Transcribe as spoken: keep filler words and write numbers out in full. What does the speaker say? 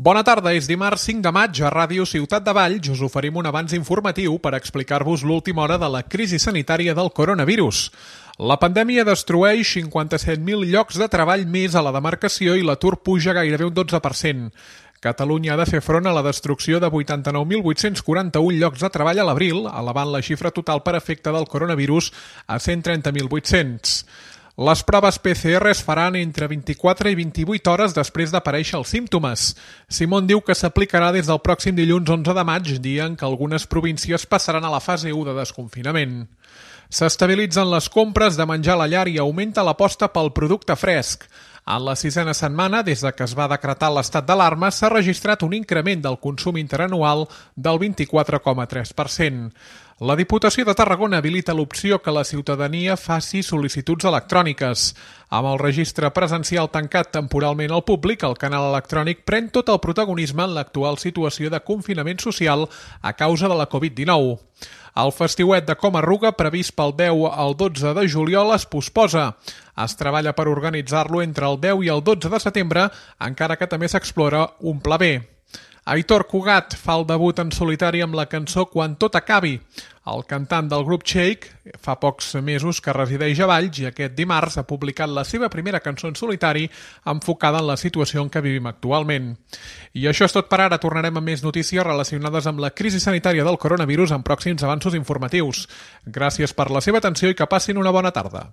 Bona tarda, és dimarts cinc de maig a Ràdio Ciutat de Valls. Us oferim un avanç informatiu per explicar-vos l'última hora de la crisi sanitària del coronavirus. La pandèmia destrueix cinquanta-set mil llocs de treball més a la demarcació i l'atur puja gairebé un dotze per cent. Catalunya ha de fer front a la destrucció de vuitanta-nou mil vuit-cents quaranta-un llocs de treball a l'abril, elevant la xifra total per efecte del coronavirus a cent trenta mil vuit-cents. Les proves P C R es faran entre vint-i-quatre i vint-i-vuit hores després d'aparèixer els símptomes. Simón diu que s'aplicarà des del pròxim dilluns onze de maig, dia en què algunes províncies passaran a la fase u de desconfinament. S'estabilitzen les compres de menjar a la llar i augmenta l'aposta pel producte fresc. En la sisena setmana, des de que es va decretar l'estat d'alarma, s'ha registrat un increment del consum interanual del vint-i-quatre coma tres per cent. La Diputació de Tarragona habilita l'opció que la ciutadania faci sol·licituds electròniques. Amb el registre presencial tancat temporalment al públic, el canal electrònic pren tot el protagonisme en l'actual situació de confinament social a causa de la covid dinou. El festiuet de Comarruga, previst pel deu al dotze de juliol, es posposa. Es treballa per organitzar-lo entre el deu i el dotze de setembre, encara que també s'explora un pla B. Aitor Cugat fa el debut en solitari amb la cançó Quan tot acabi. El cantant del grup Shake fa pocs mesos que resideix a Valls i aquest dimarts ha publicat la seva primera cançó en solitari enfocada en la situació en què vivim actualment. I això és tot per ara. Tornarem amb més notícies relacionades amb la crisi sanitària del coronavirus en pròxims avanços informatius. Gràcies per la seva atenció i que passin una bona tarda.